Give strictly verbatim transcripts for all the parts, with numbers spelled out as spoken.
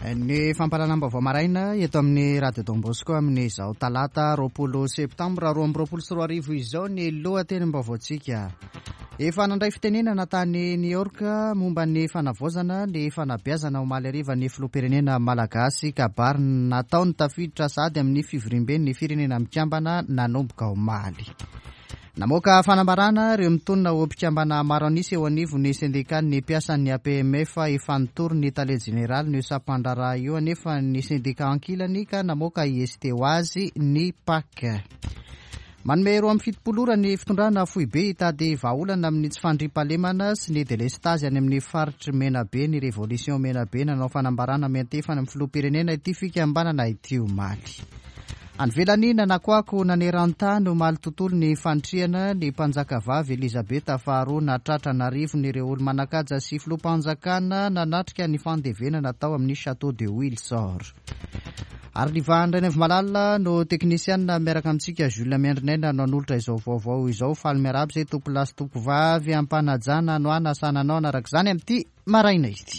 Ny fampahalalam-baovao maraina eto amin'ny Radio Don Bosco amin'izao talata roapolo septambra roa amby roapolo sy roa arivo izao ny lohatenim-baovaontsika. Efa nandray fitenenana tany New York momba ny fanavaozana ny fanabeazana omaly hariva ny filoham-pirenena malagasy, kabary nataony tafiditra sady amin'ny fivoriamben'ny Firenena Mikambana nanomboka omaly. Namoaka fanambarana ireo mitonona ho mpikambana maro an'isa eo anivon'ny sendikan'ny mpiasan'ny A P M F. Efa nitory ny tale jeneraly ny sampandraharaha io anefa ny sendika ankilany ka namoaka I S T ho azy ny P A C. Manome roa amin'ny fitopolo ora ny fitondrana foibe hitady vahaolana amin'ny tsy fandriampahalemana sy ny delestazy any amin'ny faritry Menabe ny Révolution Menabe. Nanao fanambarana miantefana amin'ny filoham-pirenena ity fikambanana ity omaly. Any ivelany, nanakoako naneran-tany omaly tontolo ny fanitrihana ny mpanjaka vavy Elizabeta faharoa. Natratra an'arivony ireo olo manan-kaja sy filoham-panjakana nanatrika ny fandevenana tao amin'ny Château de Windsor. Ary livahan'ny Malala no teknisianina miaraka amintsika. Jules Miandrinaina no hanolotra izao vaovao izao. Faly miarahaba izay tompo lahy sy tompo vavy ampanajana no anasananao anaraka izany amin'ity maraina ity.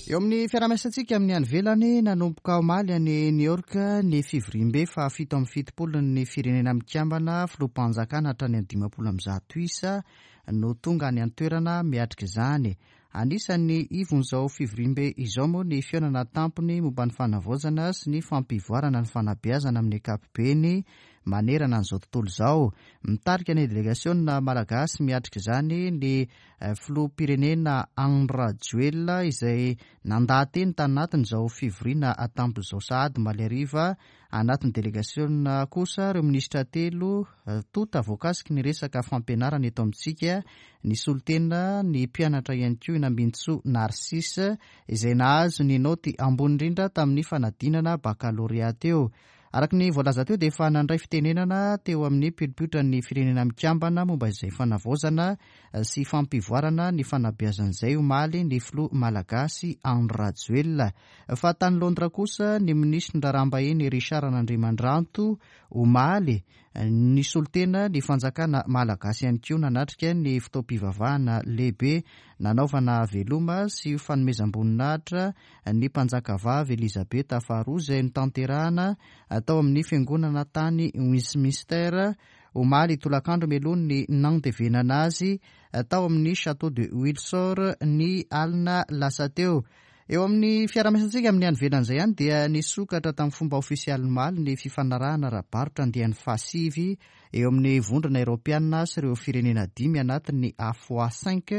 Eo amin'ny fiarahamiasantsika amin'ny any ivelany, nanomboka omaly any New York ny fivoriambe fa fito amin'ny fitopolo ny Firenena Mikambana. Filoham-panjakana hatrany amin'ny dimampolo amby zato isa no tonga any an-toerana miatrika izany. Anisan'ny ivon'izao fivoriambe izao moa ny fihaonana tampony momba ny fanavaozana sy ny fampivoarana ny fanabeazana amin'ny ankapobeny manerana an'izao tontolo izao. Mitarika ny delegasiona malagasy miatrika izany ny filoham-pirenena Andry Rajoelina, izay nandaha-teny tanatin'izao fivoriana tampony izao sahady omaly hariva. Anatin'ny delegasiona kosa ireo minisitra telo tota voakasiky ny resaka fampianarana eto amintsika, ny solontena ny mpianatra ihany koa Nambintsoa Narcisse, izay nahazo ny naoty ambony indrindra tamin'ny fanadinana bakalorea teo. Araka ny voalaza teo dia efa nandray fitenenana teo amin'ny pilipiotra ny Firenena Mikambana momba izay fanavaozana sy fampivoarana ny fanabeazan'izay omaly ny filoha malagasy Andry Rajoelina. Fa tany Londres kosa, ny minisitry ny raharaham-bahiny Richard Randriamandranto omaly ny solontena ny fanjakana malagasy ihany koa nanatrika ny fotoam-pivavahana lehibe nanaovana veloma sy fanomezam-boninahitra ny mpanjaka vavy Elizabeta faharoa, izay notanterahana atao amin'ny fiangonana tany Westminster omaly tolakandro, mialoha ny nandevenana azy tao amin'ny Château de Windsor ny alina lasa teo. Eo amin'ny fiarahamiasantsika amin'ny any ivelan'izay ihany dia nisokatra tamin'ny fomba ofisialy omaly ny fifanarahana ara-barotra andiany fahasivy eo amin'ny Vondrona Eoropeana sy ireo firenena dimy anatin'ny AFOA cinq,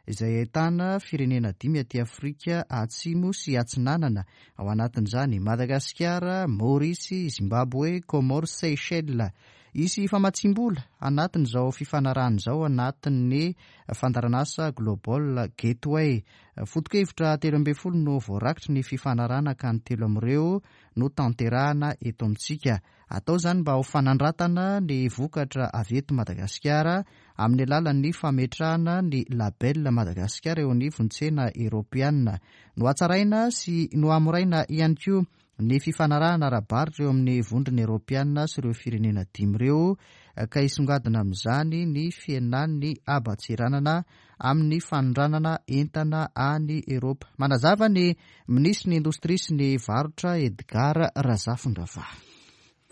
izay ahitana firenena dimy aty Afrika Atsimo sy Atsinanana, ao anatin'izany Madagasikara, Maorisy, Zimbabwe, Comores, Seychelles. Isy famatsim-bola anatin'izao fifanarahana izao anatin'ny fandaharanasa Global Gateway. Foto-kevitra telo ambin'ny folo no voarakitry ny fifanarahana, ka ny telo amin'ireo no tanterahana eto amintsika. Atao izany mba ho fanandratana ny vokatra avy eto Madagasikara amin'ny alalan'ny fametrahana ny label Madagasikara eo anivon'ny tsena eoropeana. No hatsaraina sy no hamoraina ihany koa ny fifanarahana ara-barotra eo amin'ny Vondrona Eoropeana sy ireo firenena dimy ireo, ka isongadina amin'izany ny fihenan'ny haban-tseranana amin'ny fanondranana entana any Eropa. Manazava ny minisitry ny Indostria sy ny Varotra, Edgard Razafindravahy.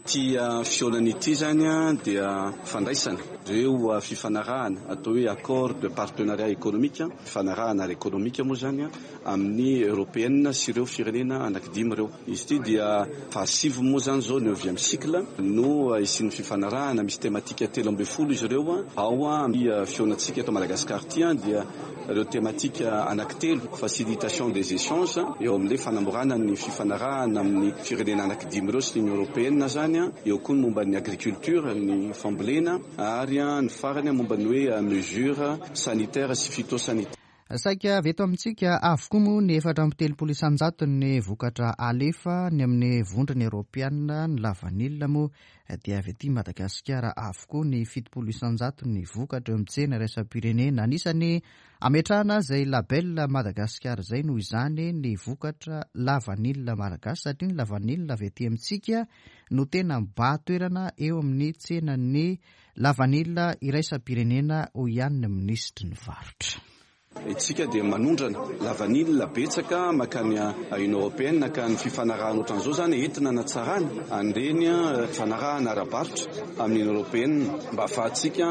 Ty fihaonana ity zany a dia fandraisana reo fifanarahana atao hoe accord de partenariat économique, fifanarahana ara-ekonomika moa zany a amin'ny européenne sy ireo firenena anankidimy ireo. Izy ity dia fahasivy moa zany zao, neuvième cycle no isian'ny fifanarahana. Misy thématique telo amby folo izy ireo ao a fihaonantsika eto Madagasikara ty a dia ireo thématique anankitelo: facilitation des échanges eo amin'le fanamorana ny fifanarahana amin'ny firenena anankidimy ireo sy ny Union européenne zany a eo koa ny momba ny agriculture, ny fambolena, ary a ny farany momba ny hoe mesure sanitaire sy phytosanitaire. Saika avy eto amintsika avokoa moa ny efatra amby telopolo isanjato ny vokatra alefa ny amin'ny Vondrona Eoropeana. Ny lavanila moa dia avy aty Madagasikara avokoa ny fitopolo isanjato ny vokatra eo amin'ny tsena iraisam-pirenena. Anisany ametrahana izay label Madagasikara izay noho izany ny vokatra lavanila malagasy, satria ny lavanila avy aty amintsika no tena mibahan-toerana eo amin'ny tsenan'ny lavanila iraisam-pirenena, hoy ihany ny minisitry ny varotra. Itsika dia manondrana lavanila betsaka makany Union européenne, ka ny fifanarahana ohatran'izao zany entina anatsarana an'ireny fifanarahana ara-barotra amin'ny Union européenne, mba ahafahantsika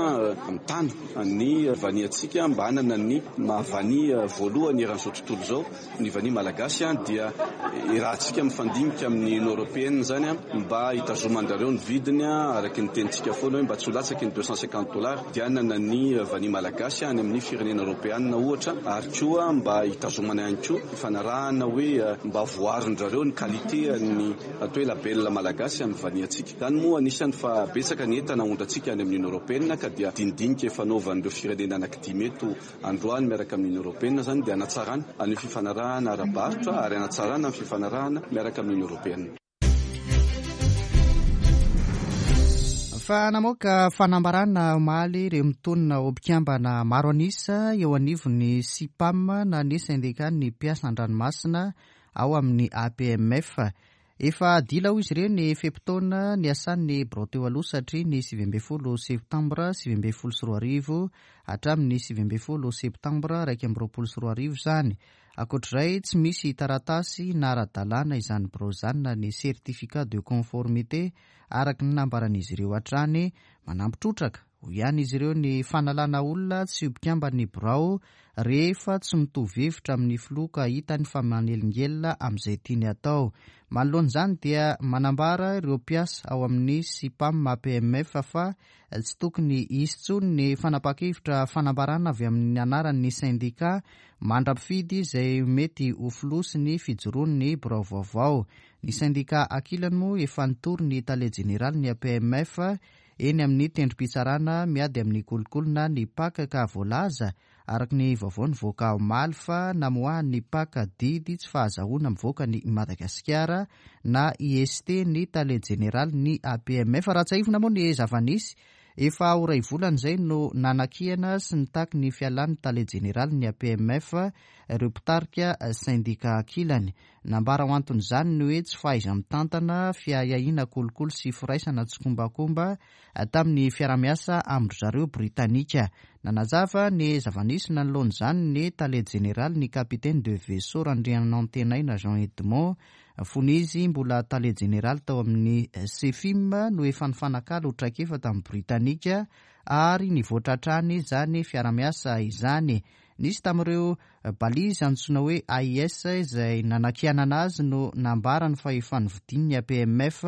mitana ny vaniantsika, mba hanana ny mahavania voalohany eran'izao tontolo izao ny vania malagasy. Dia irahantsika mifandinika amin'ny Union européenne zany mba hitazoman-drareo ny vidiny, araky ny tenintsika foana hoe mba tsy ho latsaky ny deux cent cinquante dollars, dia hanana ny vania malagasy any amin'ny firenena eoropeanina ohatra, ary koa mba hitazomana ihany koa fifanarahana hoe mba voaron-drareo ny qualité ny atao hoe label malagasy amin'ny vaniantsika zany. Moa anisany fa betsaka ny entana aondrantsika any amin'ny Union européenne, ka dia dinidinika efa naovan'ireo firenena anankidimy eto androany miaraka amin'ny Union européenne zany, dia anatsarana an'io fifanarahana ara-barotra ary anatsarana ny fifanarahana miaraka amin'ny Union européenne. Fa namoaka fanambarana omaly ireo mitonona ho mpikambana maro anisa eo anivon'ny SIPAM, na ny syndicat-n'ny mpiasa an-dranomasina ao amin'ny A P M F. Efa dila ho izy ireo ny fe-potoana ny asan'ny birao teo aloha, satria ny sivy amby folo septambra sivy amby folo sy roa arivo hatramin'ny sivy amby folo septambra raiky amby roapolo sy roa arivo zany. Ankoatr'izay, tsy misy taratasy na ara-dalàna izany birao izany, na ny certificat de conformité, araka ny nambaran'izy ireo hatrany. Manampy trotraka ho ihany izy ireo ny fanalana olona tsy ho mpikambany birao rehefa tsy mitovy hevitra amin'ny filoha, ka hitany fa manelingelina amin'izay tiany atao. Manoloana izany dia manambara ireo mpiasa ao amin'ny SIPAM A P M F fa tsy tokony hisy intsony ny fanapa-kevitra fanambarana avy amin'ny anaran'ny syndicat mandra-pifidy izay mety ho filoha sy ny fijoroan'ny birao vaovao. Ny syndicat ankilany moa efa nitory ny tale jeneraly ny A P M F eny amin'ny tendrom-pitsarana miady amin'ny kolikoly, ny P A C, ka voalaza araka ny vaovao nivoaka omaly fa namoahan'ny P A C didy tsy fahazahoana mivoaka ny Madagasikara, na I S T, ny tale jeneraly ny A P M F. Raha tsiahivina moa ny zava-nisy, efa ho iray volana izay no nanakiana sy nitaky ny fialan'ny tale jeneraly ny A P M F ireo mpitarika syndicat ankilany. Nambara ho anton'izany ny hoe tsy fahaiza-mitantana, fiahiahiana kolikoly sy firaisana tsikombakomba tamin'ny fiarahamiasa amin-dry zareo Britanika. Nanazava ny zava-nisy nanoloana izany ny tale jeneraly, ny capitaine de vaisseau Randrianantenaina Jean Edmond. Fony izy mbola tale jeneraly tao amin'ny SEFIM no efa nifanakalo traikefa tamin'ny Britanika, ary nivoatra hatrany zany fiarahamiasa izany. Nisy tamin'ireo balise antsoina hoe A I S izay nanakianana azy no nambarany fa efa nividin'ny A P M F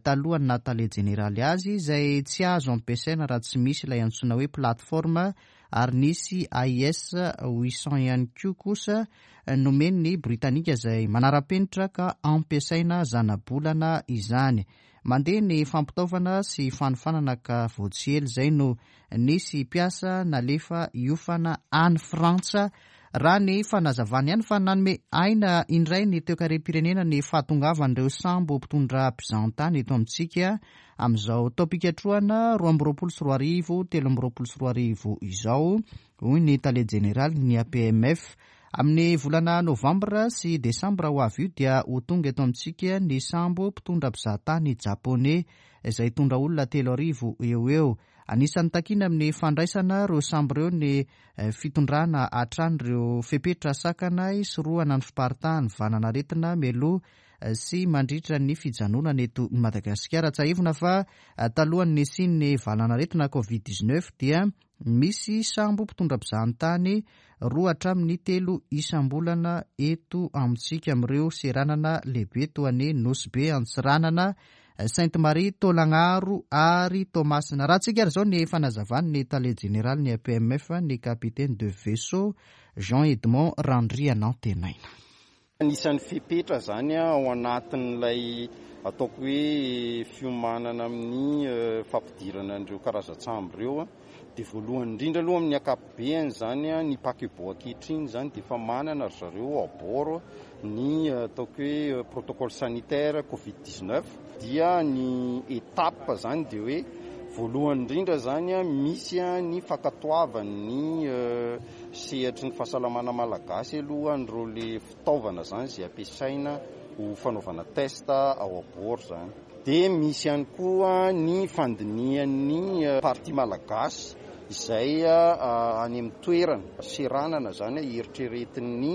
talohan'ny naha tale jeneraly azy, izay tsy azo ampiasaina raha tsy misy ilay antsoina hoe plateforme, ary nisy A I S huit cent ihany koa kosa nomen'ny Britanika izay manara-penitra ka ampiasaina zanabolana izany. Mandeha ny fampitaovana sy fanofanana, ka vao tsy ela izay no nisy mpiasa nalefa hiofana any Frantsa, raha ny fanazavany ihany. Fa nanome aina indray ny toekarem-pirenena ny fahatongavan'ireo sambo mpitondra mpizahantany eto amintsika amin'izao taom-pikatrohana roa amby roapolo sy roa arivo telo amby roapolo sy roa arivo izao, hoy ny tale jeneraly ny A P M F. Amin'ny volana novambra sy desambra ho avy io dia ho tonga eto amintsika ny sambo mpitondra mpizahatany japonais izay hitondra olona telo arivo eo eo. Anisan'ny takina amin'ny fandraisana ireo sambo ireo ny fitondrana hatrany ireo fepetra sakana isorohana ny fiparitahan'ny valan'aretina mialoha sy mandritra ny fijanonana eto Madagasikara. Tsiahivina fa talohan'ny nisian'ny valan'aretina COVID dix-neuf dia misy sambo mpitondra mpizahantany roa hatramin'ny telo isam-bolana eto amintsika, amin'ireo seranana lehibe toa ny Nosy Be, Antsiranana, Sainte Marie, Tolagnaro ary Toamasina. Raha tsika ary izao ny fanazavany ny tale jeneraly ny A P M F, ny capitaine de vaisseau Jean Edmond Randrianantenaina. Anisan'ny fepetra zany ao anatin'ilay ataoko hoe fiomanana amin'ny fampidirana an'ireo karazan-tsambo ireo a, dia voalohany indrindra aloha, amin'ny ankapobeany zany a, ny paquebot ankehitriny zany dia efa manana ry zareo à bord ny ataoko hoe protocole sanitaire COVID dix-neuf. Dia ny étape zany dia hoe voalohany indrindra zany a, misy a ny fankatoavan'ny sehatry ny fahasalamana malagasy aloha an'ireo le fitaovana zany zay ampiasaina ho fanaovana test ao à bord zany. Dia misy ihany koa ny fandinihan'ny partie malagasy izay any amin'ny toerana seranana zany eritreretin'ny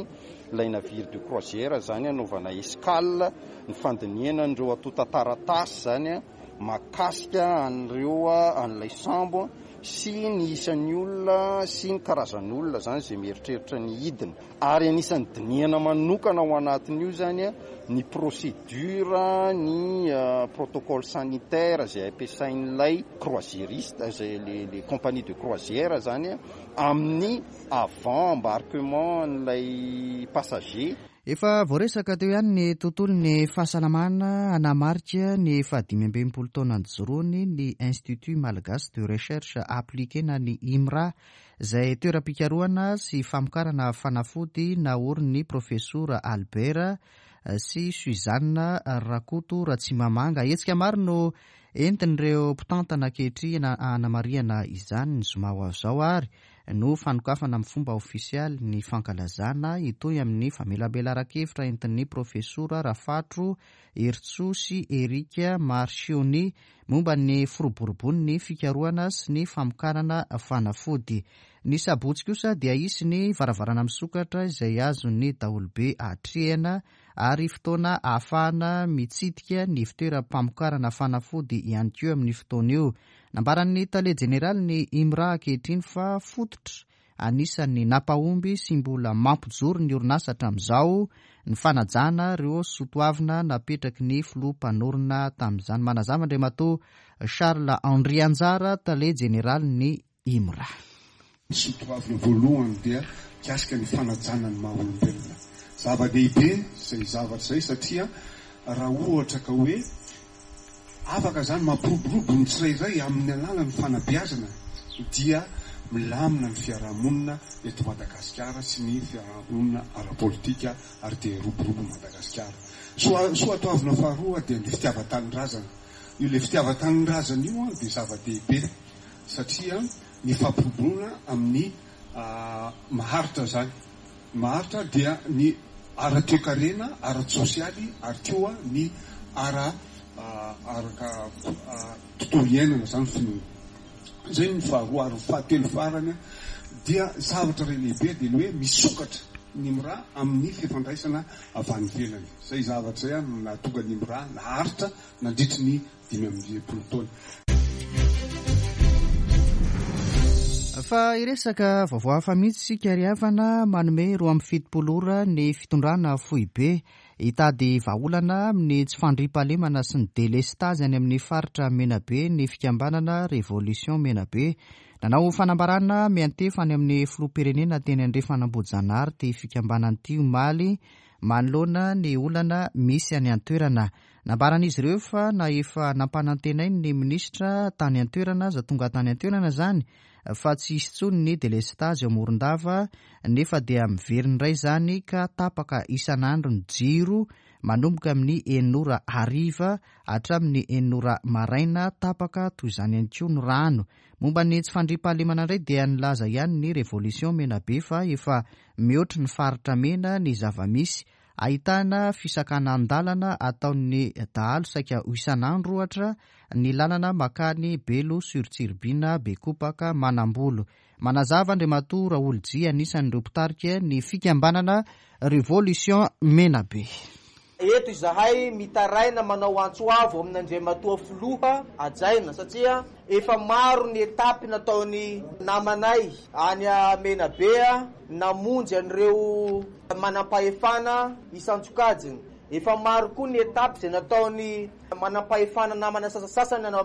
ilay navire de croisière zany anaovana escale, ny fandinihana an'ireo antontan-taratasy zany mahakasika an'ireo an'ilay sambo sy ny isan'ny olona sy ny karazan'olona zany izay mieritreritra ny hidina. Ary anisan'ny dinihana manokana ao anatin'io zany ny procédure, ny protocole sanitaire izay ampiasain'ilay croisiériste, izay le le compagnie de croisière zany amin'ny avant embarquement an'ilay passager. Efa voaresaka teo ihany ny tontolon'ny fahasalamana. Anamarika ny fahadimy amby enimpolo taona nijoroany ny Institut Malagasy de Recherche Appliquée na ny IMRA, izay toeram-pikarohana sy famokarana fanafody naorin'ny profesora Albert sy Suzanne Rakoto Ratsimamanga. Hetsika maro no entin'ireo mpitantana ankehitriny anamarihana izany. Ny zoma ho avy izao ary no fanokafana amin'ny fomba ofisialy ny fankalazana, hitohy amin'ny famelabelaran-kevitra entin'ny profesora Rafatro Heritsoa sy Eric Marchioni momba ny firoborobon'ny fikarohana sy ny famokarana fanafody. Ny sabotsy kosa dia hisy ny varavarana misokatra izay azon'ny daholobe atrehana ary fotoana ahafahana mitsidika ny fitoeram-pamokarana fanafody ihany koa amin'ny fotoana io. Nambaran'ny tale jeneraly ny IMRA ankehitriny fa fototra anisan'ny nampahomby sy mbola mampijoro ny orinasa hatramin'izao ny fanajana ireo soatoavina napetraky ny filoha mpanorina tamin'izany. Manazava Andriamatoa Charles Andrianjara, tale jeneraly ny IMRA. Ny soatoavina voalohany dia mikasika ny fanajana ny maha olombelona. Zava-dehibe izay zavatra izay satria raha ohatra ka hoe afaka zany mampiroborobo ny tsirairay amin'ny alalan'ny fanabeazana dia milamina ny fiarahamonina eto Madagasikara sy ny fiarahamonina ara-politika ary dia roborobo Madagasikara. Soa soatoavina faharoa dia ny fitiavan-tanindrazana. Io le fitiavan-tanindrazana io dia zava-dehibe satria ny fampiroboroana amin'ny maharitra zany. Maharitra dia ny ara-toekarena, ara-tsosialy ary koa ny ara araka tontolo iainana zany finoana. Zay ny faharoa. Ary fahatelo farany dia zavatra iray lehibe dia ny hoe misokatra ny IMRA amin'ny fifandraisana avy any ivelany. Zay zavatra zay no nahatonga ny IMRA naharitra nandritry ny dimy amby enimpolo taona. Fa hiresaka vaovao hafa mihitsy isika ry havana. Manome roa amby fitopolo ora ny fitondrana foibe hitady vahaolana amin'ny tsy fandriampahalemana sy ny delestazy any amin'ny faritra Menabe ny fikambanana Révolution Menabe. Nanao fanambarana miantefa any amin'ny filoham-pirenena teny Andrefan'Ambohijanahary ity fikambanana ity omaly manoloana ny olana misy any an-toerana. Nambaran'izy ireo fa na efa nampanantenainy ny minisitra tany an-toerana aza tonga tany an-toerana zany fa tsy hisy intsony ny delestazy ao Morondava, nefa dia miverina indray izany ka tapaka isan'andro ny jiro manomboka amin'ny enina ora hariva hatramin'ny enina ora maraina, tapaka toy izany ihany koa ny rano. Momba ny tsy fandriampahalemana indray dia nilaza ihany ny Révolution Menabe fa efa mihoatry ny faritra mena ny zava-misy, ahitana fisakanan-dalana ataon'ny dahalo saika ho isan'andro ohatra ny lalana makany Belo sur Tsiribihina, Bekopaka, Manambolo. Manazava Andriamatoa Raolijy, anisan'ireo mpitarika ny fikambanana Révolution Menabe. Eto izahay mitaraina manao antso avo amin'Andriamatoa filoha hajaina satria efa maro ny etapy nataony namanay any Menabe namonjy an'ireo manam-pahefana isan-tsokajiny. Efa maro koa ny etapy izay nataony manam-pahefana namana sasasasany any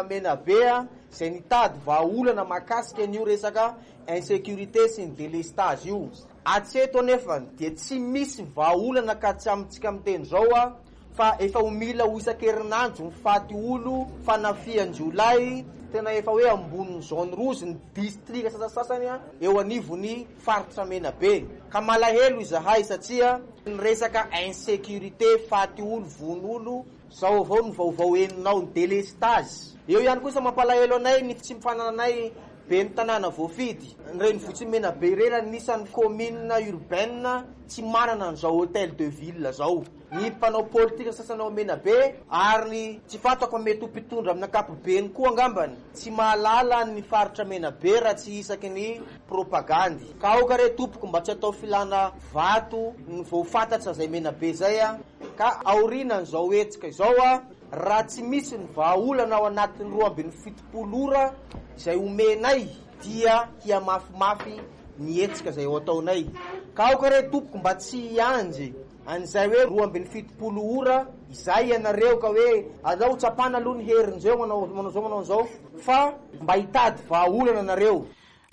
Menabe izay nitady vahaolana mahakasika an'io resaka insécurité sy ny délestage io. Hatreto anefa dia tsy misy vahaolana ka tsy amintsika miteny izao a fa efa ho mila ho isan-kerinandro ny faty olo fanafihan-jiolahy tena efa hoe ambonin'ny zone rouge ny distrika sasasasany eo anivon'ny faritra Menabe. Ka malahelo izahay satria ny resaka insécurité faty olo vono olo zao avao ny vaovao heninao ny délestage. Eo ihany kosa mampalahelo anay ny tsy fanananay Ben'ny tanàna voafidy, ny renivohitr'i Menabe irery anisan'ny commune urbaine tsy manana an'izao hôtel de ville zao. Ny mpanao politika sasany ao Menabe ary ny tsy fantako mety ho mpitondra amin'ny ankapobeny koa angambany tsy mahalala ny faritra Menabe raha tsy isaky ny propagandy. Ka aoka re tompoko mba tsy atao filana vato ny vao fantatra zay Menabe zay a. Ka aorianan'izao hetsika izao a, raha tsy misy ny vahaolana ao anatin'ny roa ambin'ny fitopolo ora izay omenay dia hihamafimafy ny hetsika izay ho ataonay. Ka aoka re tompoko mba tsy hianjy an'izay hoe roa ambin'ny fitopolo ora izay ianareo ka hoe alao tsapana aloha ny herin'izao manao manao zao manao zao fa mba hitady vahaolana anareo.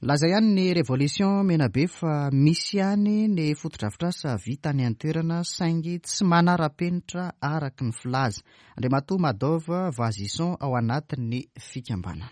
Laza ihany ny Révolution Menabe fa misy ihany ny fotodrafitrasa vita any an-toerana saingy tsy manara-penitra araka ny filaza. Andriamatoa Madov Vazison ao anatin'ny fikambanana.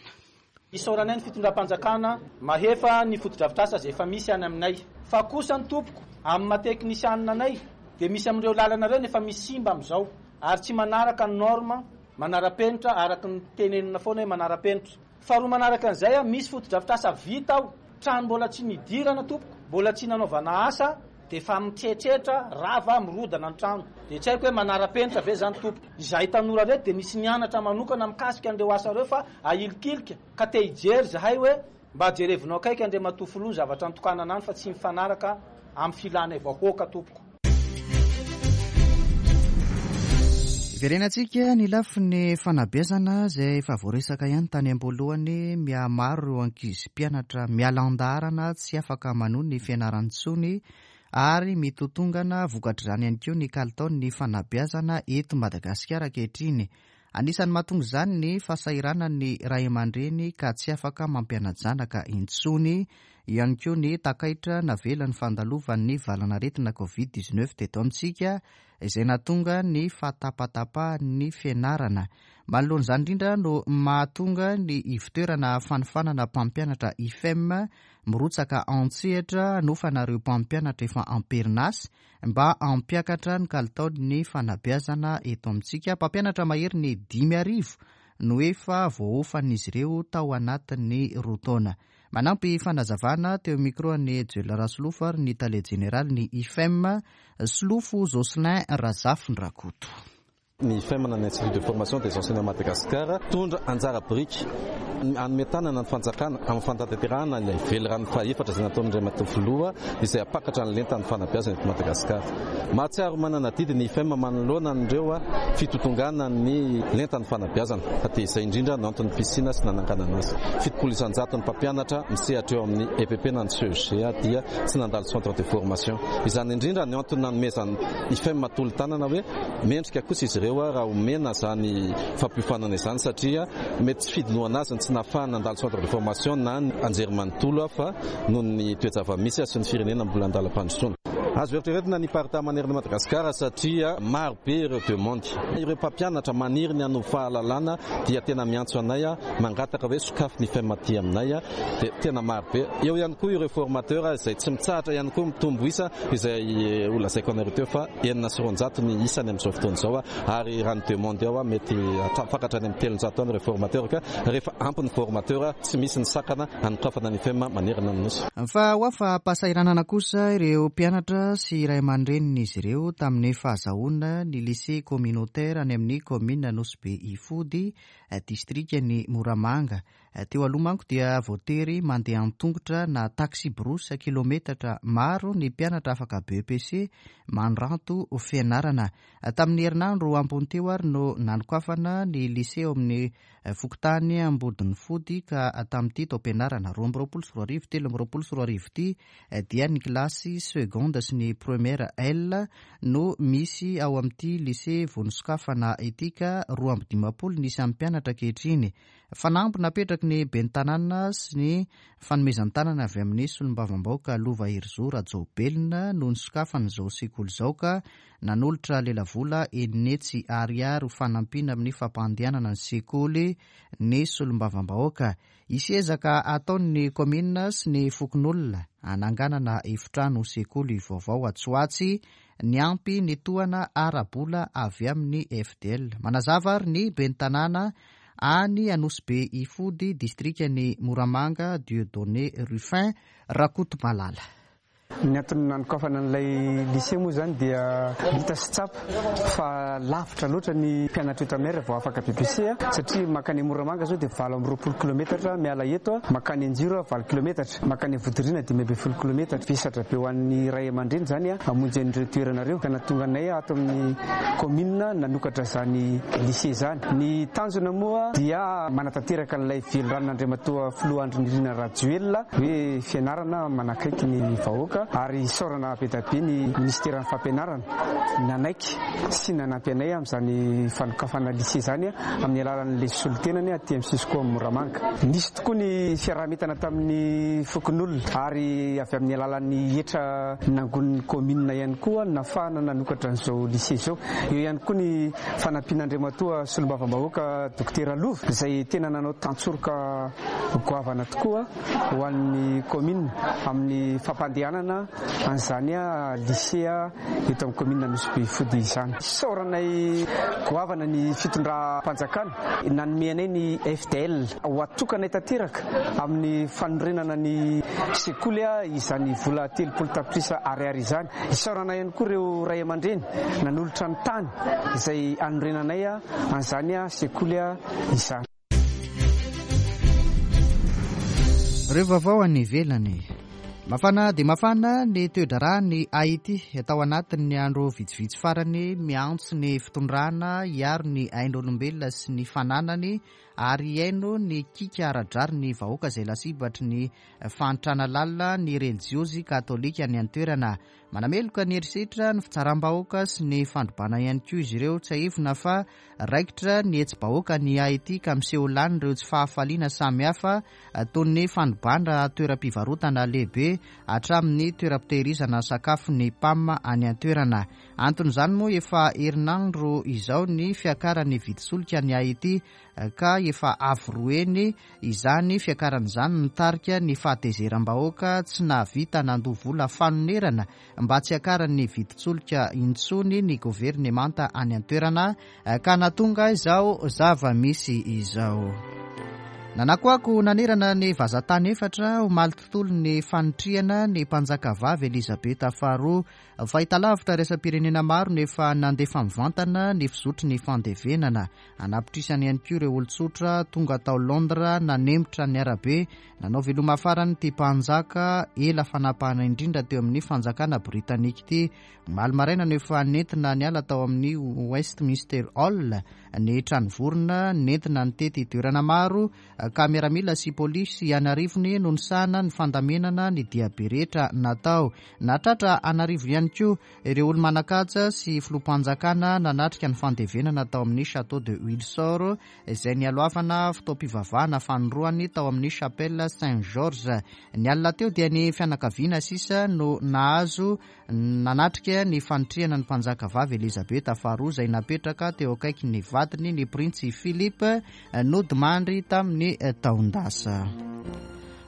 Isaoranay ny fitondram-panjakana mahefa ny fotodrafitrasa izay efa misy any aminay. Fa kosa ny tompoko amin'ny maha teknisianina anay dia misy amin'ireo lalana ireo nefa misy simba amin'izao ary tsy manaraka ny norme manara-penitra araka ny tenenina foana hoe manara-penitra. Faharoa manaraka an'izay a, misy fotodrafitrasa vita ao, trano mbola tsy nidirana tompoko, mbola tsy nanaovana asa dia efa mitretretra rava mirodana ny trano. Dia tsy haiko hoe manara-penitra ve zany tompoko. Izahay tanora reto dia nisy nianatra manokana mikasika an'ireo asa ireo fa ahilikilika ka te hijery zahay hoe mba jerevinao akaiky Andriamatoa Filoha ny zavatra nitokanana any fa tsy mifanaraka amin'ny filanay vahoaka tompoko. Verenantsika ny lafiny fanabeazana izay efa voaresaka ihany tany am-boalohany. Mihamaro ireo ankizy mpianatra miala an-daharana tsy afaka manohy ny fianarany intsony ary mitotongana vokatr'izany ihany koa ny kalitaon'ny fanabeazana eto Madagasikara ankehitriny. Anisan'ny mahatonga izany ny fahasahiranan'ny ray aman-dreny ka tsy afaka mampiana-janaka intsony, ihany koa ny takaitra navelan'ny fandalovan'ny valan'aretina covid dix-neuf teto amintsika izay nahatonga ny fahatapatapahan'ny fianarana. Manoloana izany indrindra no mahatonga ny ivotoerana fanofanana mpampianatra I F E M mirotsaka an-tsehatra hanofana ireo mpampianatra efa am-perinasa mba hampiakatra ny kalitaon'ny fanabeazana eto amintsika. Mpampianatra mahery ny dimy arivo no efa voaofan'izy ireo tao anatin'ny roa taona. Manampy fanazavana teo micro an'i Joel Rasolofo ary ny tale jeneraly ny I F E M Solofo Jocelyn Razafindrakoto. Ny I F E M na ny Institut de Formation des Enseignants Madagascar tondra anjara biriky hanome tanana ny fanjakana amin'ny fanatanterahana ilay velirano fahaefatra izay nataon'Andriamatoa Filoha izay hampakatra ny lentan'ny fanabeazana eto Madagasikara. Mahatsiaro manana adidy ny I F E M manoloana an'ireo fitotongana ny lentan'ny fanabeazana fa dia izay indrindra no anton'ny fisiana sy nananganana azy. Fitopolo isan-jato ny mpampianatra misehatra eo amin'ny E P P na ny C E G A dia tsy nandalo centre de formation. Izany indrindra no antony nanomezan'ny I F E M tolo-tanana hoe mendrika kosa izy ireo raha omena izany fampiofanana izany satria mety tsy fidinoana azy ny tsy nahafahana nandalo centre de formation na ny anjerimanontolo fa noho ny toe-java-misy sy ny firenena mbola andalam-pandrosoana. Azo eritreretina ny parta manerana Madagasikara satria maro be ireo demande. Ireo mpampianatra maniry ny hanova fahalalana dia tena miantso anay mangataka hoe sokafy ny I F E M aty aminay dia tena maro be. Eo ihany koa ireo formateur izay tsy mitsahatra ihany koa mitombo isa izay ho lazaiko anareo teo fa enina sy roanjato ny isany amin'izao fotoana izao ary raha ny demande ao mety hatrafakatra any amin'ny telonjato any ireo formateur ka rehefa ampy ny formateur tsy misy ny sakana hanokafana ny I F E M manerana ny nosy. Fa ho afa-pahasahiranana kosa ireo mpianatra sy ray aman-drenin'izy ireo tamin'ny fahazahoana ny lycée communautaire any amin'ny commune Nosy Be Ifody, distrikan'i Moramanga. Teo aloha manko dia voatery mandeha an-tongotra na taxi-brousse kilometatra maro ny mpianatra afaka B P C mandranto fianarana. Tamin'ny herinandro ambony teo ary no nanokafana ny lycée ao amin'ny fokontany Ambodinifody ka tamin'ity taom-pianarana roa amby roapolo sy roa arivo, telo amby roapolo sy roa arivo ity dia ny kilasy seconde sy ny première L no misy ao amin'ity lycée vonosokafana ity ka roa amby dimampolo ny isan'ny mpianatra ankehitriny. Fanamby napetraky ny ben'ny tanàna sy ny fanomezan-tanana avy amin'ny solombavambahoaka Lova Herizo Rajaobelina no nisokafana izao sekoly izao ka nanolotra lelavola enina hetsy ariary ho fanampiana amin'ny fampandehanana ny sekoly ny solombavambahoaka. Hisy ezaka ataon'ny kaominina sy ny fokonolona hananganana efitrano sekoly vaovao atsoatsy niampy ny tohana ara-bola avy amin'ny F D L. Manazava ary ny ben'ny tanàna any Anosibe Ifody, distrikan'i Moramanga, Dieudonné Ruffin Rakotomalala. Ny antony nanokafana an'ilay lycée moa zany dia hita sy tsapa fa lavitra loatra ny mpianatra eto aminay vao afaka B E P C, satria makany Moramanga zao dia valo amby roapolo kilometatra miala eto, makany Anjiro valo kilometatra, makany Vodiriana dimy amby folo kilometatra. Vesatra be ho an'ny ray aman-dreny zany a hamonjy an'ireo toerana reo, ka natonga anay ato amin'ny commune nanokatra zany lycée zany. Ny tanjona moa dia manatanteraka an'ilay veliranon'Andriamatoa filoha Andry Nirina Rajoelina hoe fianarana manakaiky ny vahoaka, ary isaorana be dia be ny ministeran'ny fampianarana nanaiky sy nanampy anay amin'izany fanokafana lycée zany amin'ny alalan'le solotenany aty amin'ny Cisco amin'ny Moramanga. Nisy tokoa ny fiaraha-mientana tamin'ny fokonolona, ary avy amin'ny alalan'ny hetra nangonin'ny commune ihany koa nafahana nanokatra an'izao lycée zao. Eo ihany koa ny fanampian'Andriamatoa solombavambahoaka Dokotera Lova, izay tena nanao tantsoroka goavana tokoa ho an'ny commune amin'ny fampandehanana an'izany a lycée eto amin'ny commune Anosibe Ifody izany. Isaoranay goavana ny fitondram-panjakana nanome anay ny F D L ho atokanay tanteraka amin'ny fanorenana ny sekoly a izany vola telopolo tapitrisa ariary izany. Isaorana ihany koa ireo ray aman-dreny nanolotra ny tany izay anorenanay a an'izany a sekoly a izany. Ireo vaovao any ivelany. Mafana dia mafana ny toe-draharaha ny Haiti atao anatin'ny andro vitsivitsy farany. Miantso ny fitondrana hiaro ny ain'olombelona sy ny fananany ary hiaino ny kiaka ara-drariny ny vahoaka izay lasibatry ny fahantrana lalina ny relijiozy katolika ny an-toerana. Manameloka ny herisetra, ny fitsaram-bahoaka sy ny fandrobana ihany koa izy ireo. Tsiahivina fa raikitra ny hetsi-bahoaka ny Haiti ka miseho lany ireo tsy fahafaliana samihafa, toy ny fandrobana toeram-pivarotana lehibe hatramin'ny toeram-pitehirizana sakafo ny PAM any an-toerana. Anton'izany moa, efa herinandro izao ny fiakaran'ny vidin-tsolika ny Haiti, ka efa avo roa heny izany fiakaran'izany, mitarika ny fahatezeram-bahoaka. Tsy nahavita nandoa vola fanonerana mba tsy hiakaran'ny vidin-tsolika intsony ny governemanta any an-toerana, ka natonga izao zava-misy izao. Nanakoako nanerana ny vazantany efatra omaly tontolo ny fanitrihana ny mpanjaka vavy Elizabeta faharoa. Fahitalavitra iraisam-pirenena maro nefa nandefa mivantana ny fizotry ny fandevenana. Anapitrisany ihany koa ireo olon-tsotra tonga tao Londres nanemitra ny arabe nanao veloma farany ty mpanjaka ela fanapahana indrindra teo amin'ny fanjakana britanika ity. Omaly maraina no efa nentina niala tao amin'ny Westminster Hall ny tranovorona, nentina nitety toerana maro, ka miaramila sy polisy anarivony no nisahana ny fandamenana ny diabe rehetra natao. Natratra anarivo ihany koa ireo olo manan-kaja sy filoham-panjakana nanatrika ny fandevenana tao amin'ny Château de Windsor, izay nialohavana fotoam-pivavahana fanindroany tao amin'ny chapelle Saint George. Ny alina teo dia ny fianakaviana sisa no nahazo nanatrika ny fanitrihana ny mpanjaka vavy Elizabeta faharoa, izay napetraka teo akaiky ny vadiny, ny printsy Philippe, nodimandry tamin'ny taon-dasa.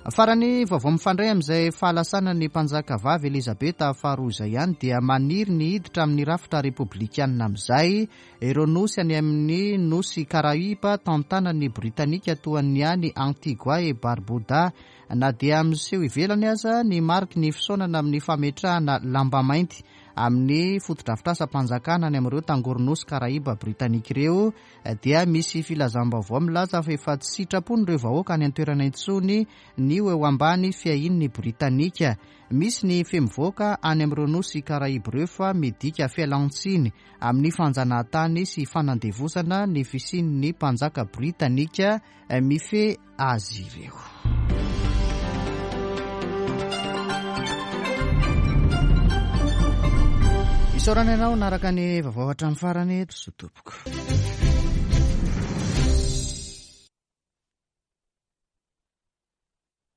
Farany, vaovao mifandray amin'izay fahalasana ny mpanjaka vavy Elizabeta faharoa izay ihany, dia maniry ny hiditra amin'ny rafitra repoblikanina amin'izay ireo nosy any amin'ny nosy Karaiba tantanany Britanika, toa ny any Antigua et Barbuda. Na dia miseho ivelany aza ny mariky ny fisaonana amin'ny fametrahana lamba mainty amin'ny fotodrafitrasam-panjakana any amin'ireo tangoronosy Karaiba britanika ireo, dia misy filazam-baovao milaza fa efa tsy sitrapony ireo vahoaka any an-toerana intsony ny ho eo ambany fiahian'ny Britanika. Misy ny feo mivoaka any amin'ireo nosy Karaiba ireo fa midika fialantsiny amin'ny fanjanahantany sy fanandevozana ny fisian'ny mpanjaka britanika mifehy azy ireo. Isaorana ianao naraka ny vaovao hatramin'ny farany eto so tompoko.